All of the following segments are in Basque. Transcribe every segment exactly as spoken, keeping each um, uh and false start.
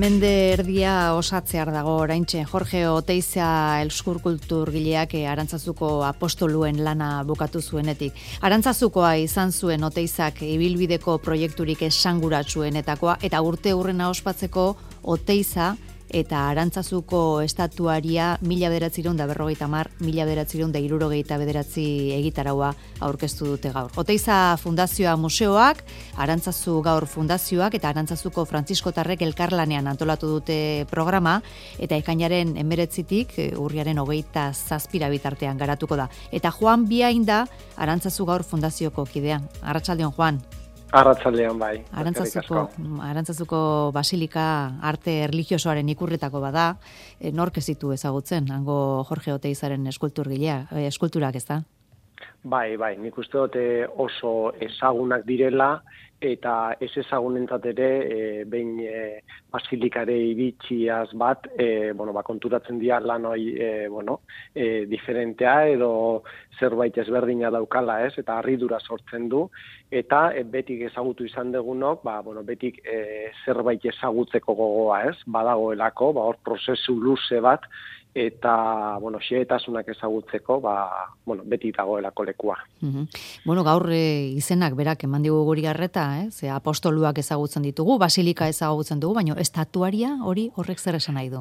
Mende erdia osatzear dago oraintxe Jorge Oteiza elskurkulturgileak Arantzazuko apostoluen lana bukatu zuenetik. Arantzazukoa izan zuen Oteizak ibilbideko proiekturik esanguratsuenetakoa eta urte hurrena ospatzeko Oteiza eta Arantzazuko estatuaria mila bederatziehun eta berrogeita hamar, mila bederatziehun eta hirurogeita bederatzi egitaraua aurkeztu dute gaur. Oteiza Fundazioa museoak, Arantzazu Gaur Fundazioak eta Arantzazuko Frantziskotarrek elkarlanean antolatu dute programa eta ekainaren hemeretzitik urriaren hogeita zazpira bitartean garatuko da. Eta Juan Biain da Arantzazu Gaur Fundazioko kidea. Arratsaldeon, Juan. Arratsaldean bai. Arantzazuko, Arantzazuko basilika arte erlijiosoaren ikurretako bada, e, nork ez ditu ezagutzen, hango Jorge Oteizaren eskulturgilea, e, eskulturak ez da? Bai, bai, nik uste dute oso ezagunak direla, eta ez ezagunentzat ere, e, behin e, basilikare iritziaz bat, e, bueno, ba, konturatzen dira lan hori, e, bueno, e, diferentea edo zerbait ezberdina daukala, ez, eta harridura sortzen du, eta e, betik ezagutu izan dugunok, ba, bueno, betik e, zerbait ezagutzeko gogoa, ez, badagoelako, ba, hor prozesu luze bat, eta, bueno, xehetasunak ezagutzeko, ba, bueno, beti dagoelako lekua. Mm-hmm. Bueno, gaur e, izenak berak eman digu guri garreta, eh? Ze apostoluak ezagutzen ditugu, basilika ezagutzen dugu, baina estatuaria hori horrek zer esan nahi du?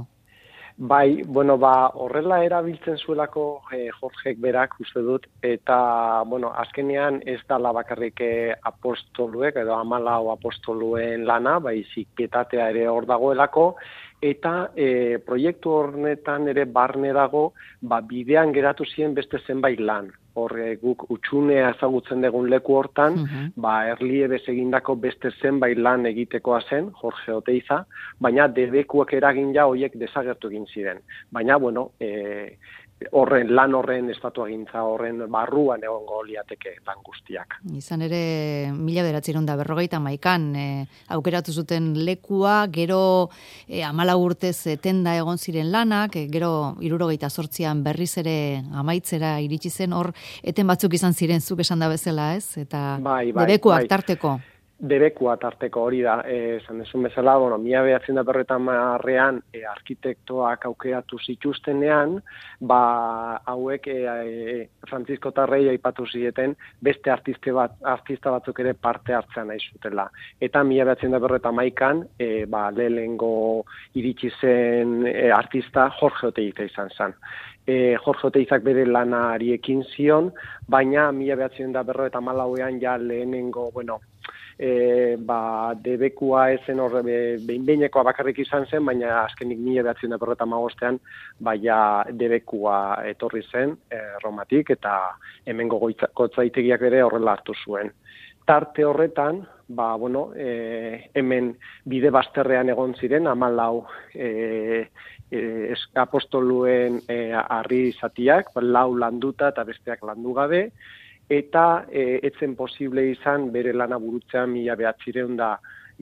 Bai, bueno, ba, horrela erabiltzen zuelako eh, Jorgek berak uste dut, eta, bueno, azkenean ez da bakarrik eh, apostoluek, edo hamalau apostoluen lana, baizik pietatea ere hor dagoelako, eta e, proiektu horretan ere barne dago, ba, bidean geratu ziren beste zenbait lan. Hor guk utxunea ezagutzen dugun leku hortan, uh-huh. ba, erliebez egindako beste zenbait lan egitekoa zen, Jorge Oteiza, baina debekuak eragin ja horiek desagertu egin ziren. Baina, bueno, e, horren lan horren estatuagintza horren barruan egongo liateke lan guztiak. Izan ere, mila bederatziehun eta berrogeita hamaikan e, aukeratu zuten lekua, gero e, hamalau urtez etenda egon ziren lanak, e, gero hirurogeita zortzian berriz ere amaitzera iritsi zen, hor eten batzuk izan ziren zuk esan da bezala, ez? Eta bai, bai, debekuak bai. tarteko. Debekua tarteko hori da, esan eh, desun bezala, bueno, mila bederatziehun eta berrogeita hamarrean eh, arkitektoak aukeratu zituztenean, ba, hauek eh, eh, Frantziskotarrei aipatu zieten beste artiste bat, artista batzuk ere parte hartzen nahi zutela. Eta mila bederatziehun eta berrogeita hamaikan, eh, ba, lehenengo iritsi zen eh, artista Jorge Oteiza izan zen. E, Jorge Oteizak bere lanari ekin zion, baina mila bederatziehun eta berrogeita hamalauean ja lehenengo, bueno, E, ba, debekua ezen horre behin-behinekoa bakarrik izan zen, baina azkenik mila bederatziehun eta berrogeita hamabostean baina debekua etorri zen e, Romatik, eta hemengo gotzaitegiak ere horrela hartu zuen. Tarte horretan, ba, bueno, e, hemen bide bazterrean egon ziren, hamalau e, e, apostoluen e, harri zatiak, lau landuta eta besteak landu gabe, eta e, etzen posible izan bere lana burutzean mila behatzireun da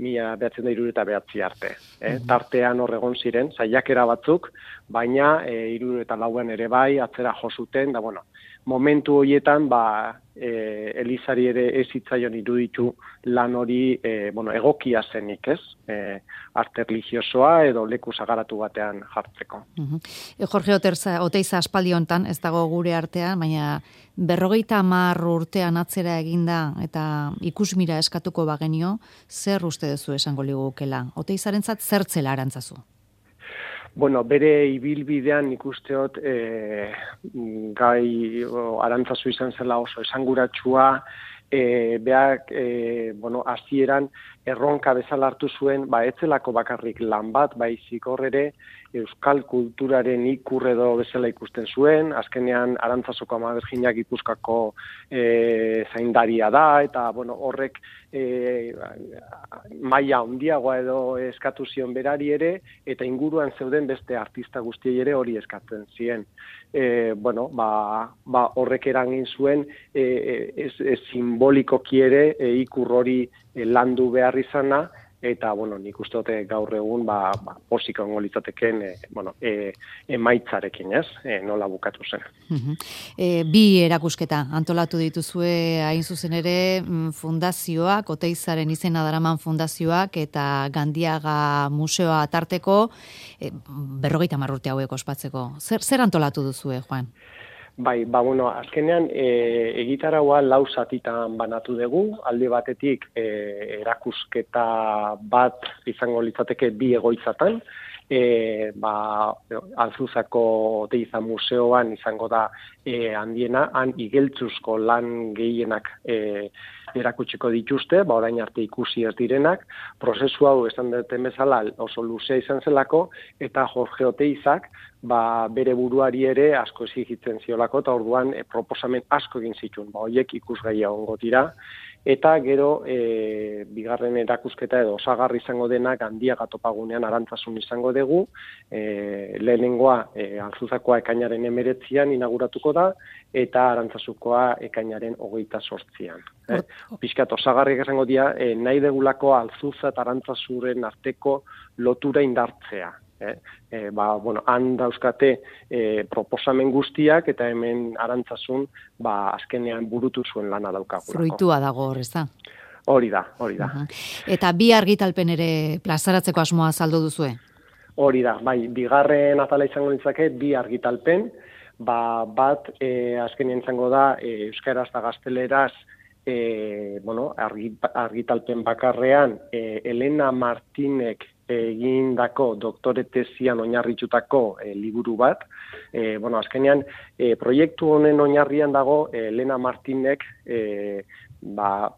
mila behatzen da hirurogeita behatzi arte. Eh? Mm-hmm. Tartean hor egon ziren, saiakera batzuk, baina e, hirurogeita lauan ere bai, atzera josuten, da bueno, momentu horietan, ba, e, Elizari ere ez hitzaion iruditu lan hori e, bueno, egokia zenik, ez? E, arte religiosoa edo leku sagaratu batean jartzeko. Uh-huh. E, Jorge Oteiza, Oteiza aspaldi hontan, ez dago gure artean, baina berrogeita hamar urtean atzera eginda eta ikusmira eskatuko bagenio, zer uste duzu esango ligukela? Oteizarentzat zertzela Arantzazu? Bueno, bere ibilbidean ikusteot e, gai o, Arantzazu izan zela oso esanguratsua, e, beak, e, bueno, hasieran erronka bezala hartu zuen, ba, etzelako bakarrik lan bat, baizik hor ere, euskal kulturaren ikur edo bezala ikusten zuen, azkenean Arantzazoko Ama Birjina Gipuzkoako e, zaindaria da, eta bueno, horrek e, maila handiagoa edo eskatu zion berari ere, eta inguruan zeuden beste artista guztiei ere hori eskatzen zien. E, bueno, ba, ba horrek eragin zuen e, ez, ez simbolikoki ere e, ikur hori e, landu behar izana, eta, bueno, nik uste dute gaur egun, ba, ba posik ongo litzateken, e, bueno, e, emaitzarekin, ez, e, nola bukatu zen. Uh-huh. E, bi erakusketa antolatu dituzue hain zuzen ere fundazioak, Oteizaren izena daraman fundazioak eta Gandiaga museoa tarteko e, berrogeita hamar urte hauek ospatzeko. Zer, zer antolatu duzue, Juan? Bai, ba, bueno, azkenean e, egitaraua lau zatitan banatu dugu, alde batetik e, erakusketa bat izango litzateke bi egoitzatan, e, ba, Alzuzako Oteiza museoan izango da e, handiena, han igeltzuzko lan gehienak e, erakutsiko dituzte, ba, orain arte ikusi ez direnak, prozesu hau esan duten bezala oso luzea izan zelako, eta Jorge Oteizak ba, bere buruari ere asko exigitzen ziolako, eta orduan e, proposamen asko egin zituen, ba, horiek ikusgaia ongo dira, eta gero e, bigarren erakusketa edo osagarri izango dena Gandiaga topagunean Arantzasun izango dugu, e, lehenengoa e, Alzuzakoa ekainaren emeretzian inauguratuko da, eta Arantzazukoa ekainaren hogeita sortzian. Eh? Piskat osagarriak esango dira, e, nahi degulako Alzuza eta Arantzazuren arteko lotura indartzea. Eh? E, ba, bueno, han dauzkate e, proposamen guztiak eta hemen Arantzazun ba, azkenean burutu zuen lana daukagulako. Fruitua dago hor, ez da? Hori da, hori da. Uh-huh. Eta bi argitalpen ere plazaratzeko asmoa azaldu duzue? Hori da, bai, bigarren atala izango nintzake, bi argitalpen, ba, bat e, azkenean izango da e, euskaraz eta gazteleraz e, bueno, argitalpen bakarrean e, Elena Martinek egindako doktore tesian oinarritutako e, liburu bat. E, bueno, azkenean, e, proiektu honen oinarrian dago e, Elena Martinek e, ba,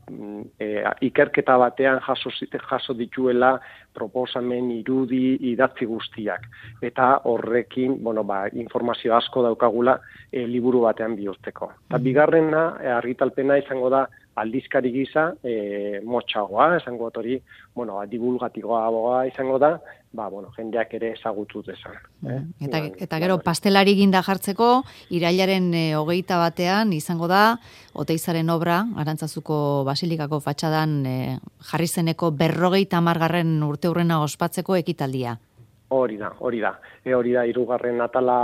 e, ikerketa batean jaso, jaso dituela proposamen irudi idatzi guztiak. Eta horrekin, bueno, ba, informazio asko daukagula e, liburu batean bihurtzeko. Eta bigarrena, e, argitalpena izango da aldizkari gisa, e, motxagoa, esango hori, bueno, divulgatiboa izango da, ba, bueno, jendeak ere ezagutu dezan. Eh? Eta, eta gero pastelari ginda jartzeko, irailaren e, hogeita batean izango da, Oteizaren obra, Arantzazuko Basilikako fatxadan e, jarri zeneko berrogeita hamargarren urte hurrena ospatzeko ekitaldia. Hori da, hori da. E, hori da, hirugarren atala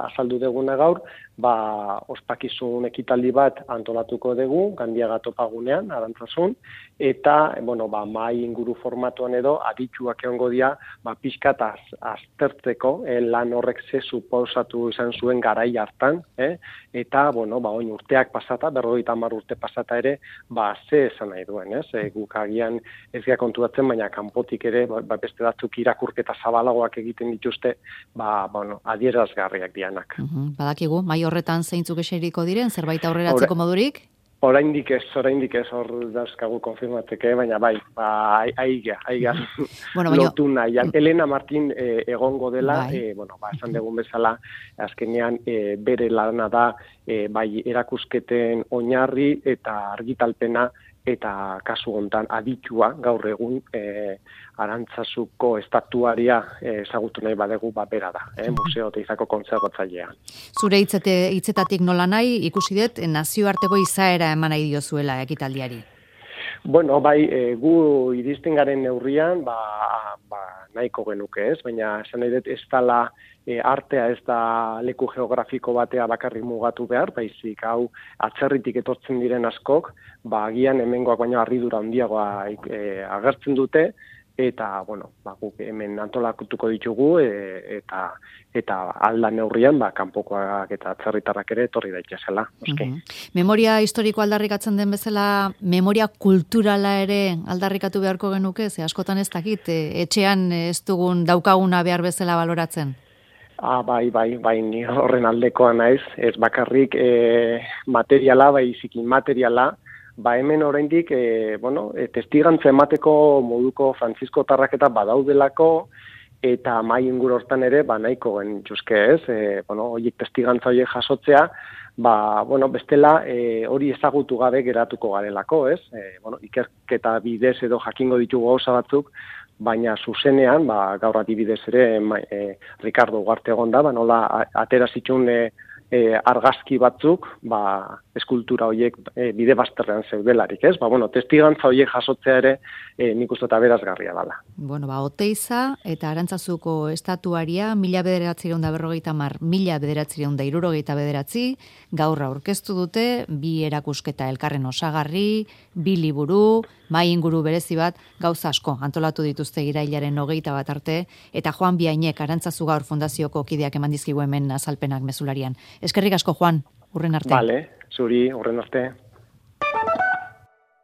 azaldu deguna gaur, ba, ospakizun ekitaldi bat antolatuko dugu, Gandiaga topagunean, Arantzazun, eta, bueno, ba, mai inguru formatuan edo, adituak egongo dira, ba, pixkat az, aztertzeko, eh, lan horrek ze suposatu izan zuen garai hartan, eh? Eta, bueno, ba, oin urteak pasata, berrogeita hamar urte pasata ere, ba, ze esan nahi duen, ez? E, guk agian ez gara konturatzen, baina kanpotik ere, ba, beste batzuk irakurketa zabalagoak egiten dituzte, ba, bueno, adierazgarriak dianak. Uh-huh. Badakigu, mai horretan zeintzuk eseriko diren, zerbait aurreratzeko modurik? Oraindik ez, oraindik ez hor dauzkagu konfirmatzeke, baina bai, ba, aiga, aiga, bueno, lotu nahian. Elena Martin e, egongo dela, e, bueno, ba, esan dugun bezala, azkenean e, bere lana da, e, bai, erakusketen oinarri eta argitalpena, eta kasu hontan aditua gaur egun e, Arantzazuko estatuaria e, ezagutu nahi badegu ba bera da, eh, Museo Oteizako kontserbatzailea. Zure hitzete, hitzetatik nola nahi ikusi dut nazioarteko izaera eman nahi diozuela ekitaldiari. Bueno, bai, e, gu iristen garen neurrian, ba, ba nahiko genuke ez, baina esan nahi dut ez dela e, artea ez da leku geografiko batea bakarrik mugatu behar, baizik hau atzerritik etortzen diren askok, ba agian hemengoak baino harridura handiagoa e, agertzen dute, eta, bueno, ba, guk hemen antolatuko ditugu, e, eta eta alda neurrian, ba, kanpokoak eta atzerritarrak ere etorri daitezela. Uh-huh. Memoria historiko aldarrikatzen den bezala, memoria kulturala ere aldarrikatu beharko genuke, ze askotan ez dakit, e, etxean ez dugun daukaguna behar bezala baloratzen? Ah, bai, bai, bai, ni horren aldekoa naiz, ez bakarrik e, materiala, bai zikin materiala, ba hemen oraindik e, bueno, e, testigantza emateko moduko Frantzisko tarraketa badaudelako, eta mai inguru hortan ere, ba nahiko genituzke ez, e, bueno, horiek testigantza horiek jasotzea, ba, bueno, bestela e, hori ezagutu gabe geratuko garelako, ez? E, bueno, ikerketa bidez edo jakingo ditugu gauza batzuk, baina zuzenean, ba, gaur adibidez ere, e, Ricardo Ugarte egon da, ba, nola atera zituen e, e, argazki batzuk, ba, eskultura horiek e, bide bazterrean zeudelarik, ez? Ba, bueno, testigantza horiek jasotzea ere e, nik uste eta berazgarria dela. Bueno, ba, Oteiza eta Arantzazuko estatuaria mila bederatzireun da berrogeita mar, mila bederatzireun da irurogeita bederatzi, gaur aurkeztu dute, bi erakusketa elkarren osagarri, bi liburu, mai inguru berezi bat, gauza asko antolatu dituzte irailaren hogeita bat arte, eta Juan Biainek Arantzazu Gaur Fundazioko kideak eman dizkigu hemen azalpenak mezularian. Eskerrik asko, Juan, urren arte. Vale, zuri, urren arte.